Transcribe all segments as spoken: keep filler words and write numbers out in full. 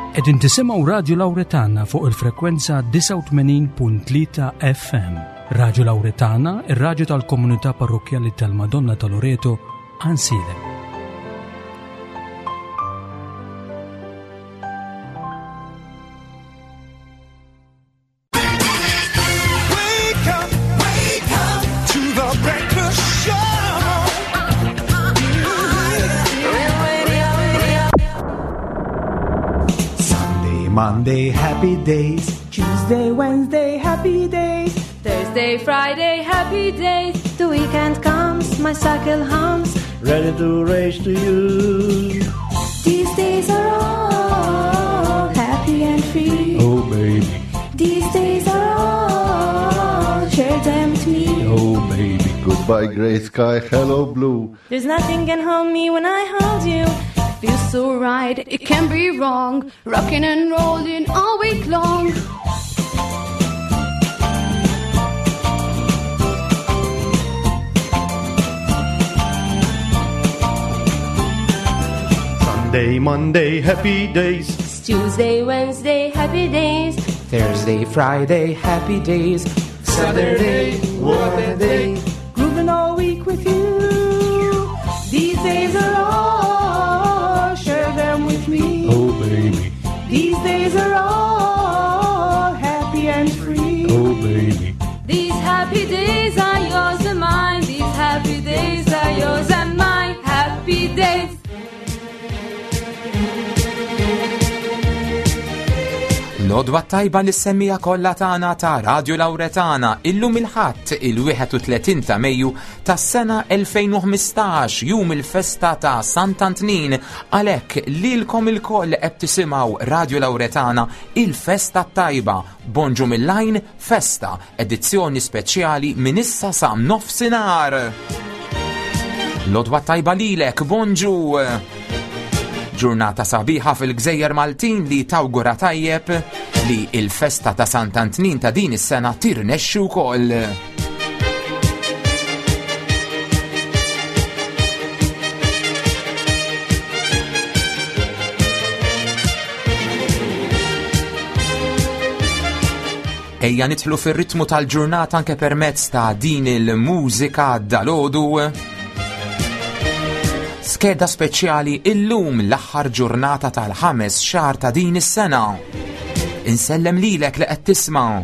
Qegħdin tisimgħu Radio Lauretana fuq il-frekwenza disgħa u tmenin punt tlieta F M. Radio Lauretana, ir-raġu tal-komunità parrokjali tal-Madonna ta' Loreto, Għajnsielem. Wake up, wake up to the breakfast show. Sunday, Monday, happy days. Tuesday, Wednesday, happy days. Thursday, Friday, happy days. The weekend comes, my cycle hums. Ready to race to you. These days are all happy and free. Oh, baby. These days are all, share them with me. Oh, baby. Goodbye, gray sky, hello, blue. There's nothing can hold me when I hold you. Feels so right, it can be wrong. Rocking and rolling all week long. Sunday, Monday, happy days. Tuesday, Wednesday, happy days. Thursday, Friday, happy days. Saturday, what a day. Grooving all week with you. These days are all, share them with me. Oh, baby. These days are all happy and free. Oh, baby. These happy days are yours and mine. These happy days are yours and mine. Happy days. L-għodwa t-tajba lis-semmiegħa kollha tagħna ta' Radio Lauretana. Illum il-Ħadd, il-wieħed u tletin ta' Mejju tas-sena elfejn u ħmistax, jum il-festa ta' Sant'Antnin. Għalhekk lilkom ilkoll qed tisimgħu Radio Lauretana, il-festa tajba. Bonġu mill-Għajn Festa, edizzjoni speċjali minn issa sa nofsinhar. L-għodwa t-tajba lilek, bonġu! Ġurnata sabiħa fil-Gżejjer Maltin li tawgura tajjeb li il-festa ta' Sant'Antnin ta' din is-sena tirnexxi wkoll. Ejja nidħlu fir-ritmu tal-ġurnata anke permezz ta' din il-mużika dalgħodu. Skeda speċjali illum, l-aħħar ġurnata tal-ħames xahar ta' din is-sena. Insellem lilek li qed tisma'.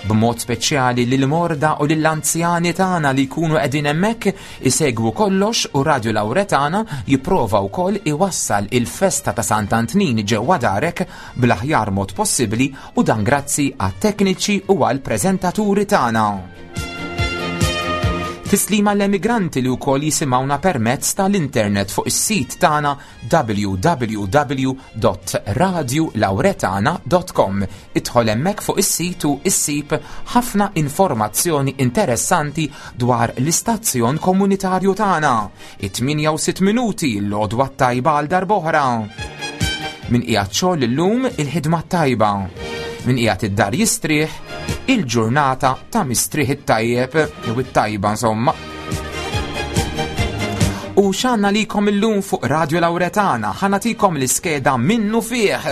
B'mod speċjali lil morda u lill-anzjani tagħna li jkunu qegħdin hemmhekk isegwu kollox, u Radio Lauretana jipprova wkoll iwassal il-festa ta' Sant'Antnin ġewwa darek bl-aħjar mod possibbli, u dan grazzi għat-tekniċi u għall-preżentaturi tagħna. Tislima l-emigranti li wkoll jisimgħuna permezz tal-internet fuq is-sit tagħna w w w punt radiolauretana punt com. Idħol hemmhekk fuq is-sit u issib ħafna informazzjoni interessanti dwar l-istazzjon komunitarju tagħna. It-tmienja u sitt minuti, l-għodwa tajba għal darb'oħra. Min qiegħed xogħol illum, il-ħidma tajba. Min qiegħed id-dar jistrieħ, il-ġurnata ta' mistrieħ it-tajjeb jew it-tajba insomma. U x'għandna lilkom illum fuq Radio Lauretana, ħa nagħtikom l-iskeda minnufih.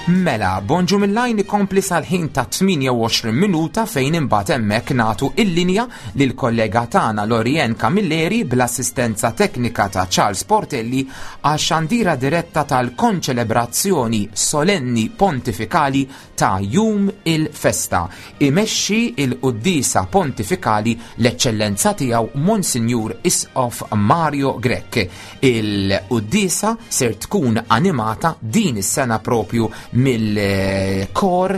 Mela, Bonġu mill-Għajn ikompli sal-ħin ta' tmienja u għoxrin minuta, fejn imbagħad hemmhekk nagħtu il-linja lil kollega tagħna Lorien Camilleri bl-assistenza teknika ta' Charles Portelli għal xandira diretta tal-konċelebrazzjoni solenni pontifikali ta' jum il-festa. Imexxi il-Quddisa Pontifikali l-Eċċellenza tiegħu Monsinjur Isqof Mario Grech. Il-Quddisa ser tkun animata din is-sena propju mill-kor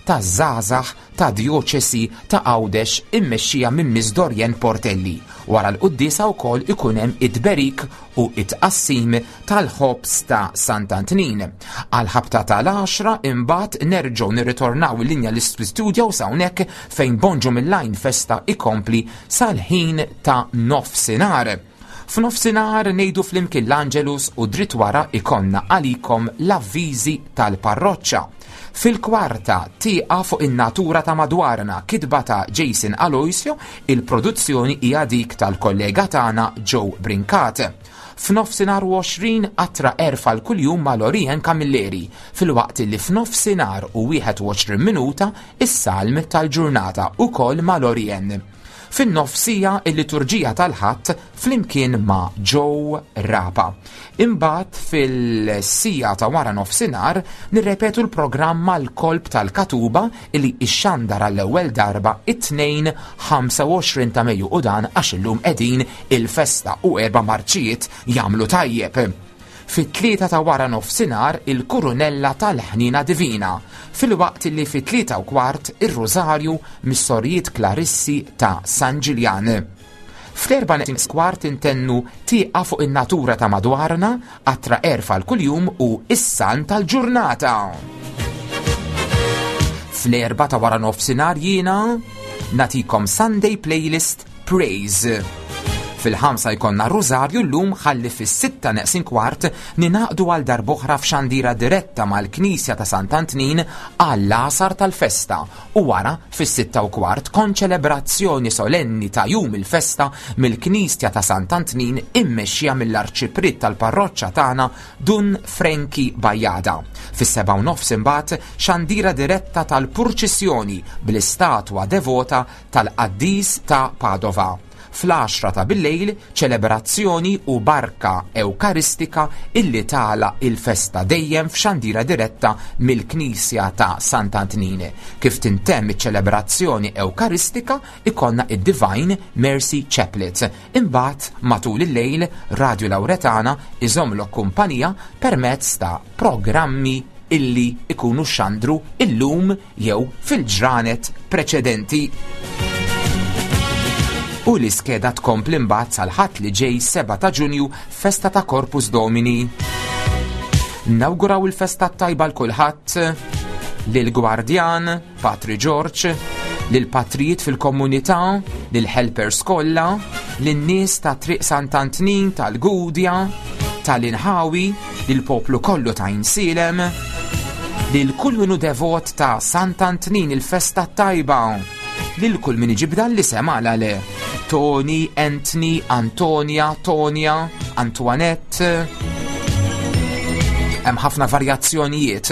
ta' żgħażagħ ta' djoċesi ta' Għawdex immexxija minn Miss Dorjen Portelli. Wara l-quddisa wkoll ikun hemm it-tberik u it-tqassim tal-ħobż ta' Sant'Antnin. Għal-ħabta tal-għaxra imbagħad nerġgħu nirritornaw il-linja l-istudio hawnhekk, fejn Bonġu mill-Għajn Festa ikompli sal-ħin ta' nofsinhar. F'nofsinhar ngħidu flimkien l-Angelus u dritt wara ikonna għalikom l-avviżi tal-parroċċa. Fil-kwarta tieqa fuq in-natura ta' madwarna, kitba ta' Jason Aloisio, il-produzzjoni hija dik tal-kollega tagħna Joe Brincat. F'nofsinhar u għoxrin qatra erfa l-kuljum ma' Lorien Camilleri, filwaqt li f'nofsinhar u wieħed u għoxrin minuta is-salm tal-ġurnata ukoll ma' Lorien. Fin-nofsija il-liturġija tal-Ħadd flimkien ma' Joe Rapa. Imbagħad fil-sija ta' wara nofsinhar nirrepetu l-programm mal-kolb tal-Katuba li ixxandar għall-ewwel darba it-tnejn ħamsa u għoxrin ta' Mejju, u dan għax illum qegħdin il-festa u erba' marċijiet jagħmlu tajjeb. Fit-tlieta ta' wara nofsinhar il-Kurunella tal-Ħnina Divina, filwaqt li fit-tlieta u kwart ir-Rożarju mis-Sorijiet Klarissi ta' San Ġiljan. Fl-erba' neqsin kwart intennu tieqa fuq in-natura ta' madwarna, qatra erfa l-kuljum u is-san tal-ġurnata. Fl-erba' ta' wara nofsinhar jiena natikom Sunday Playlist Praise. Fil-ħamsa jkollna Rożarju llum, ħalli fis-sitta neqsin kwart ninaqdu għal darb'oħra f'xandira diretta mal-Knisja ta' Sant'Antnin għall-għasar tal-festa, u wara fis-sitta u kwart konċelebrazzjoni solenni ta' jum il-festa mill-Knisja ta' Sant'Antnin immexxija mill-Arċipriet tal-Parroċċa tagħna Dun Frenki Bajada. Fis-seba' u nofs imbagħad xandira diretta tal-purċissjoni bl-istatwa devota tal-Qaddis ta' Padova. Fl-għaxra ta' billejl ċelebrazzjoni u barka ewkaristika illi tala il-festa dejjem f'xandira diretta mill-Knisja ta' Sant'Antnin. Kif tintemm iċ-ċelebrazzjoni ewkaristika ikonna id-Divine Mercy Chaplet. Imbagħad matul il-lejl Radio Lauretana iżomlok kumpanija permezz ta' programmi illi ikunu xandru illum jew fil-ġranet preċedenti. U l-iskeda tkompli mbagħad sal-Ħadd li ġej seba' ta' Ġunju, festa ta' Corpus Domini. Nawguraw il-festa tajba l kulħadd, lill-Gwardjan, Patri George, lill-patrijiet fil-komunità, lill-helpers kollha, lin-nies ta' Triq Sant'Antnin, tal-Gudja, tal-Inħawi, lill-poplu kollu ta' Insilem, lil kull min hu devot ta' Sant'Antnin il-festa tajba, lil kull min iġib dan l-isem għala le. Tony, Anthony, Antonia, Tonia, Antoinette. Hemm ħafna varjazzjonijiet.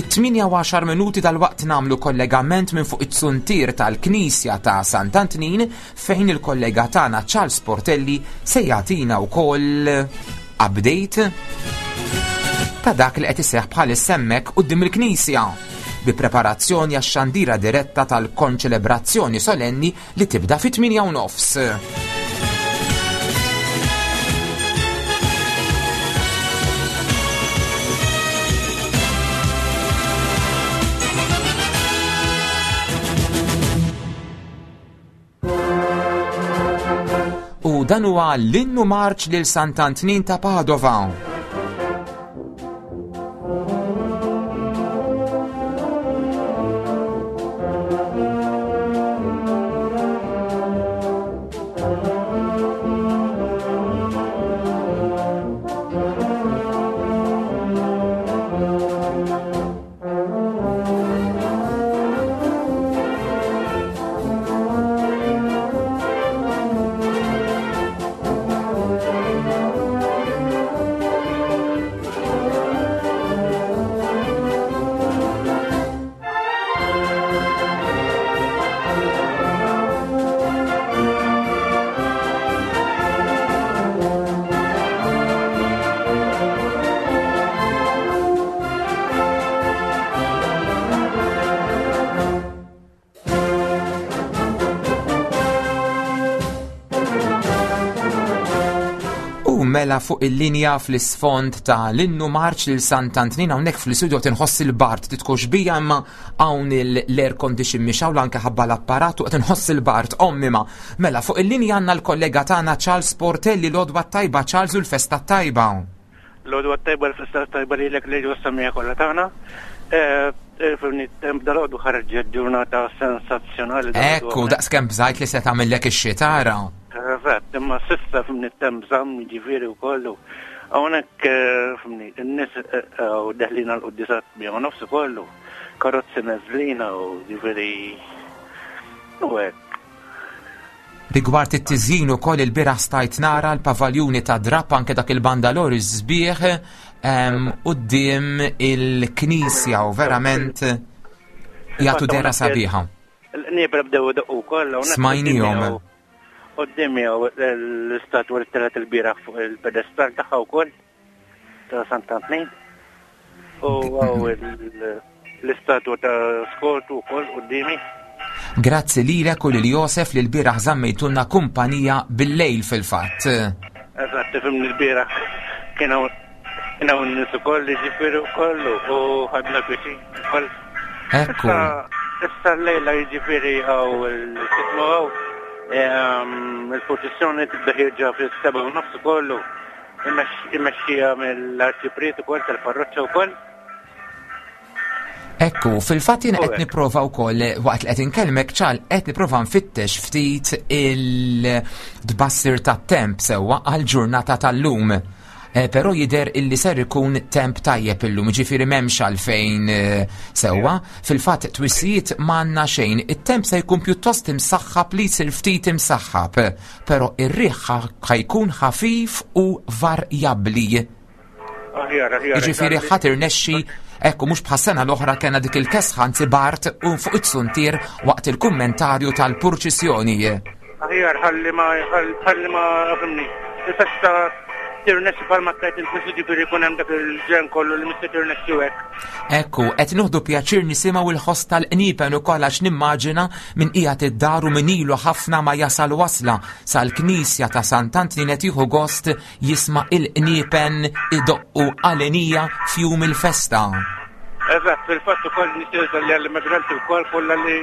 It-tmienja u għaxar minuti dal-waqt nagħmlu kollegament minn fuq it-suntier tal-Knisja ta' Sant'Antnin fejn il-kollega tagħna Charles Portelli se jagħtina wkoll update ta' dak li qed iseħħ bħalissa hemmhekk quddiem il-Knisja, bi preparazzjoni għax-xandira diretta tal-konċelebrazzjoni solenni li tibda fit-tmienja u nofs. U dan huwa l-innu marċ lil Sant'Antnin ta' Padova. Mela fuq il-linja fl-isfond ta' l-innu marċ lil Sant'Antnin hawnhekk fl-istudio tinħoss il-bard, titkox bija imma hawn l-air condition mhix hawn anke ħabba l-apparat u qed inħoss il-bard ommi ma. Mela fuq il-linja għandna l-kollega tagħna Charles Portelli. L-għodwa tajba Charles u l-festa tajba. L-għodwa tajba, l-festa tajba lilek li ġo samija kollha tagħna. Fimni, temp dalgħodu ħarġet ġurnata sensazzjonali. Ekku, daqskemm bżajt li se tagħmillek ix-xita ara. Eżatt, imma s'issa fimni temp żamm jiġifieri wkoll. Hawnhekk fimni, in-nies u deħlin għall-quddiesa tmienja u nofs ukoll. Karozzi neżlina u ġifieri u hekk. Rigward it-tiżjin ukoll il-bieraħ stajt nara l-pavaljuni ta' drap anke dak il-bandalori sbieħ quddiem il-knisja u verament jagħtu dehra sabiħa. Il-qniepen bdew idoqqu wkoll hawnhekk. Smajnihom. Quddiem l-istatwa li telgħet il-bieraħ fuq il-pedestal tagħha wkoll ta' Sant'Antnin. U hawn l-istatwa ta' Skortu wkoll quddiemi. Grazzi lilek u lil Josef li l-bieraħ żammejtulna kumpanija bil-lejl fil-fatt. Eżatt, tifhimni l-bieraħ kien hawn kien hawn nies ukoll jiġifieri wkoll u ħadna pjaċir ukoll. Ekku. Issa l-lejla jiġifieri hawn il-x'ismu hawn il-purċissjoni tibda ħierġa fis-sebgħa u nofs ukoll immexxija mill-arċipriet ukoll tal-parroċċa wkoll. Ekku, fil-fatt jiena qed nipprova wkoll waqt li qed inkellmek ċal qed nipprova nfittex ftit il-tbassir tat-temp sewwa għall-ġurnata tal-lum. Però jidher illi ser ikun temp tajjeb illum, ġifieri m'hemmx għalfejn sewwa. Fil-fatt twissijiet m'għandna xejn, it-temp se jkun pjuttost imsaħħab li jsir ftit imsaħħab, però ir-riħ ħajkun ħafif u varjabbli. Aħjar, aħjar. Jiġifieri ħadd irnexxi, ekku mhux bħas-sena l-oħra kellna dik il-kesħa anzi bart u fuq it-suntier waqt il-kummentarju tal-purċissjoni. Aħjar, ħalli ma, ħalli ma, fimni, il-festa tirnexxi bħalma tajt il-festa ġifieri jkun hemm dak il-ġen kollu li mista tirnexxi hekk. Ekku, qed nieħdu pjaċir nisimgħu il-ħoss tal-qniepen ukoll għax nimmaġina min qiegħed id-dar u min ilu ħafna ma jasal wasla sal-Knisja ta' Sant'Antnin qed jieħu gost jisma' il-qniepen idoqqu għalenija f'jum il-festa. Eżatt, fil-fatt ukoll nixtieq li għall-immigranti wkoll kollha li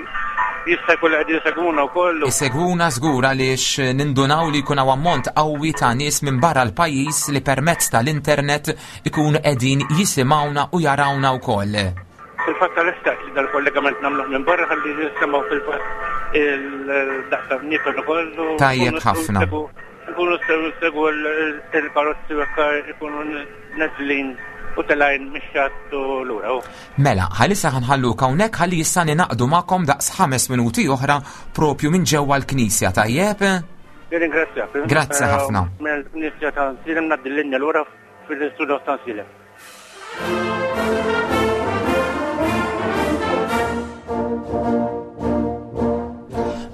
jista' jkun qegħdin isegwuna wkoll. Isegwuna żgur għaliex nindunaw li jkun hawn ammont qawwi ta' nies minn barra l-pajjiż li permezz tal-internet ikunu qegħdin jisimgħuna u jarawna wkoll. Fil-fatt għal-istat li dal-kollegament nagħmluh minn barra ħalli nisimgħu fil-fatt il-daqsa bnieten ukoll. Tajjeb ħafna. Nkunu nsegwu il-karozzi u hekk ikunu neżlin u telgħin mix-xatt u lura. Mela, ħalissa ħanħalluk hawnhekk ħalli issa ninaqdu magħkom daqs ħames minuti oħra propju minn ġewwa l-Knisja, tajjeb? Nirringrazzjak. Grazzi ħafna. Mill-Knisja ta' Għajnsielem ngħaddi l-linja lura fil-istudio ta' Għajnsielem.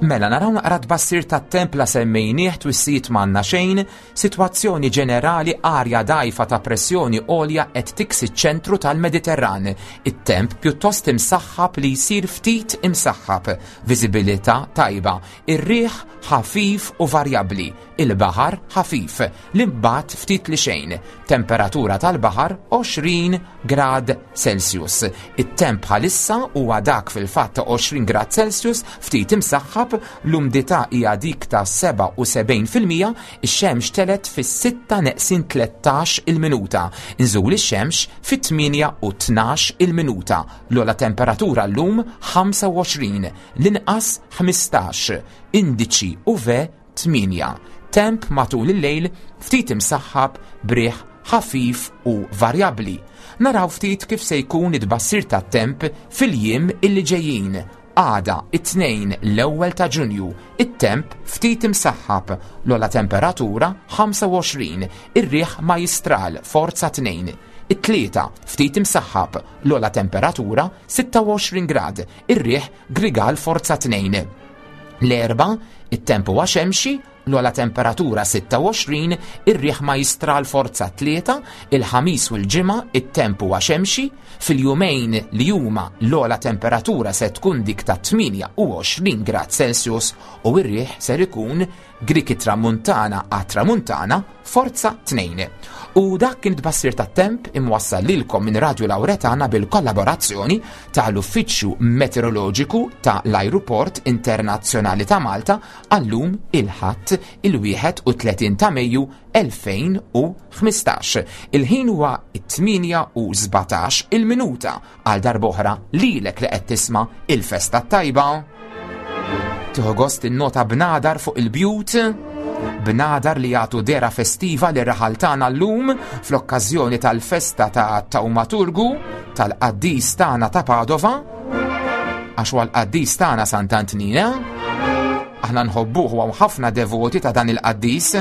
Mela, naraw naqra tbassir tat-temp la semmejnieh twissijiet m'għandna xejn, sitwazzjoni ġenerali arja dgħajfa ta' pressjoni għolja qed tiksi ċ-ċentru tal-Mediterran. It-temp pjuttost imsaħħab li jsir ftit imsaħħab, viżibilità tajba, ir-riħ ħafif u varjabbli, il-baħar ħafif, l-imbat ftit li xejn, temperatura tal-baħar għoxrin grad Celsius. It-temp bħalissa huwa dak fil-fatt ta' għoxrin grad Celsius ftit imsaħħab, l-umdità hija dik ta' seba' u sebgħin fil-mija, ix-xemx telet fis-sitta neqsin tlettax il-minuta, inżul ix-xemx fit-tmienja u tnax il-minuta, l-ogħla temperatura llum ħamsa u għoxrin, l-inqas ħmistax, indiċi U V tmienja. Temp matul il-lejl ftit imsaħħab briħ ħafif u varjabbli. Naraw ftit kif se jkun it-tbassir tat-temp fil-jiem illi ġejjin. Għada it-tnejn l-ewwel ta' Ġunju, it-temp ftit imsaħħab, l-ogħla temperatura ħamsa u għoxrin, ir-riħ majstral forza tnejn. It-tlieta ftit imsaħħab, l-ogħla temperatura sitta u għoxrin grad, ir-riħ grigal forza tnejn. L-erba, it-temp huwa xemxi, l-ogħla temperatura sitta u għoxrin, ir-riħ majstral forza tlieta, il-ħamis u l-ġimgħa it-temp huwa xemxi, fil-jumejn li huma l-ogħla temperatura se tkun dik ta' tmienja u għoxrin grad Celsius u r-riħ ser ikun Griki tramuntana għat tramuntana forza tnejn. U dak kien tbassir tat-temp imwassal lilkom minn Radio Lauretana bil-kollaborazzjoni tal-Uffiċċju Meteoroloġiku ta' l-Ajruport Internazzjonali ta' Malta għallum il-Ħadd il-Ħadd il-wieħed u tletin ta' Mejju elfejn u ħmistax. Il-ħin huwa t-tmienja u sbatax il-minuta għal darb'oħra lilek li qed tisma' il-festa tajba. Tieħu gost innota bnadar fuq il-bjut, bnadar li jagħtu dera festiva li raħal tagħna llum fl-okkażjoni tal-festa ta' Tawmaturgu tal-qaddis tagħna ta' Padova, għax huwa l-qaddis tagħna Sant'Antnina. Aħna nħobbuh u hawn ħafna devoti ta' dan il-qaddis.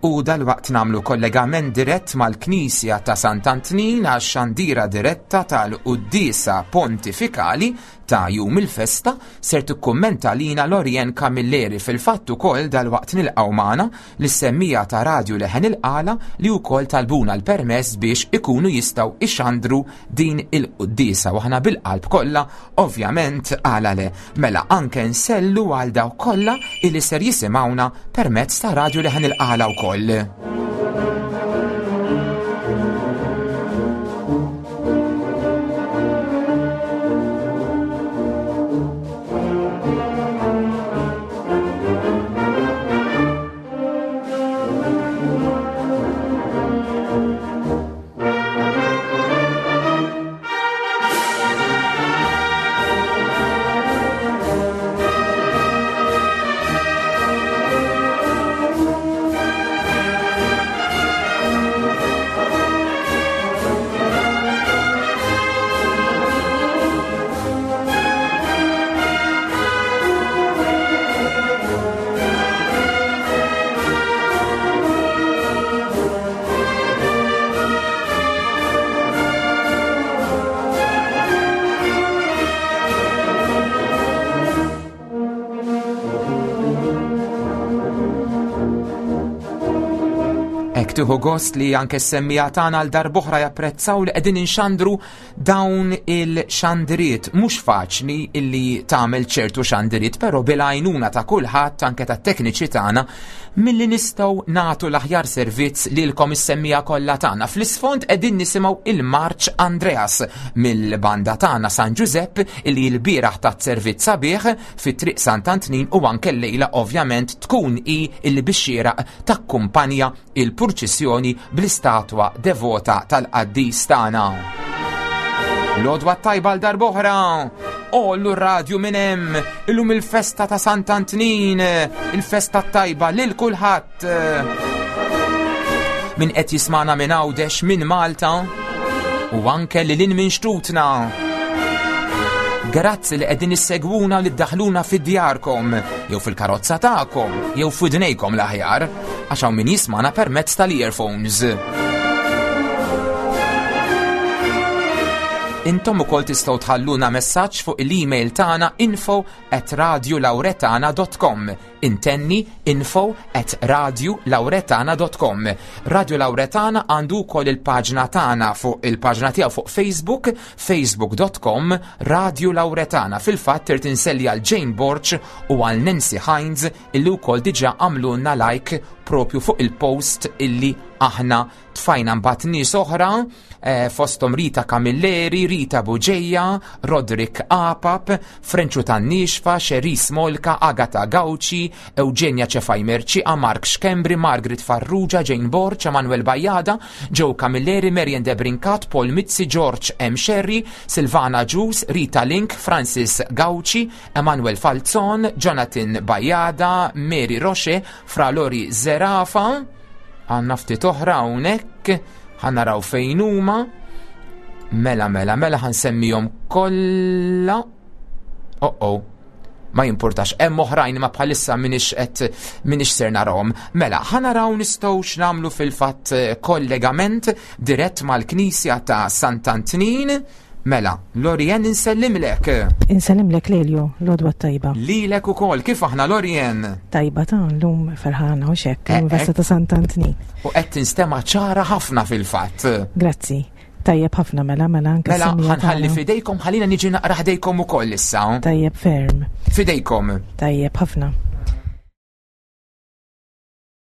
U dal-waqt namlu kollegament dirett mal-Knisja ta' Sant'Antnin għax xandira diretta tal-Quddiesa Pontifikali ta' jum il-festa ser tikkummenta lina Lorien Camilleri. Fil-fatt ukoll dal-waqt nilqgħu magħna lis-semmija ta' Radju Leħen il-Qala li wkoll talbuna l-permess biex ikunu jistgħu ixandru din il-quddiesa u aħna bil-qalb kollha ovvjament għala le. Mela anke nsellu għal dawk kollha illi ser jisimgħuna permezz ta' Radju Leħen il-Qala wkoll. Tieħu gost li anke s-semmija tagħna għal darb'oħra japprezzaw li qegħdin inxandru dawn il-xandiriet. Mhux faċli illi tagħmel ċertu xandiriet, però bil-għajnuna ta' kulħadd anke tat-tekniċi tagħna milli nistgħu nagħtu l-aħjar servizz lilkom is-semmija kollha tagħna. Fl-isfond qegħdin nisimgħu il-Marċ Andreas mill-banda tagħna San Giuseppe illi l-bieraħ tat servizz sabiħ fit-triq Sant'Antnin u anke llejla ovvjament tkun hi illi bix-xieraq takkumpanja il-purċissjoni bl-istatwa devota tal-qaddis tagħna. L-għodwa tajba għal darb'oħra. Ollu r-radju minn hemm, illum il-festa ta' Sant'Antnin, il-festa tajba lil kulħadd. Min qed jismana minn Għawdex, minn Malta u anke lil hinn minn xtutna. Grazzi li qegħdin issegwuna li ddaħluna fid-djarkom, jew fil-karozza tagħkom, jew f'widnejkom l-aħjar, għax hawn min jismana permezz tal-earphones. Intom ukoll tistgħu tħalluna messaġġ fuq l-email tagħna info at radiolauretana dot com. Intenni info at radiolauretana dot com. Radio Lauretana għandu wkoll il-paġna tagħna fuq il-paġna tiegħu fuq Facebook, facebook dot com Radio Lauretana. Fil-fatt irid inselli għal Jane Borch u għal Nancy Hines illi wkoll diġà għamlulna like propju fuq il-post illi aħna tfajna. Mbagħad nies oħra, eh, fosthom Rita Camilleri, Rita Buġeja, Roderick Apap, Frenċu Tannixfa, Cherise Molka, Agata Gauci, Eugenia Cefai Merċiqa, Mark Schembri, Margaret Farrugia, Jane Borch, Emanuel Bajada, Joe Camilleri, Marian Debrincat, Paul Mizzi, George M. Sherry, Silvana Ġus, Rita Link, Francis Gauci, Emanuel Falzon, Jonathan Bajada, Mary Roche, Fra Lori Zerafa. Għanna ftit oħra hawnhekk, ħanaraw fejn huma. Mela, mela, mela ħansemmihom kollha. Oh, oh. Ma jimpurtax, hemm oħrajn ma bħalissa minix qed minix ser narahom. Mela, ħa naraw nistgħux nagħmlu fil-fatt eh, kollegament dirett mal-Knisja ta' Sant'Antnin. Mela, Lorien, insellimlek. Insellimlek, Lelio, l-għodwa tajba. Lilek ukoll, kif aħna, Lorien? Tajba ta' l-lum ferħana u xek, Eh, l-lum festa eh. ta' Sant'Antnin. U qed tinstema' ċara ħafna fil-fatt. Grazzi. Tajjeb ħafna, mela, mela anke Mela, s-semija ħanħalli tagħna. fidejkom, ħallina niġi naqra ħdejkom ukoll issa. Tajjeb ferm, Fidejkom. Tajjeb ħafna.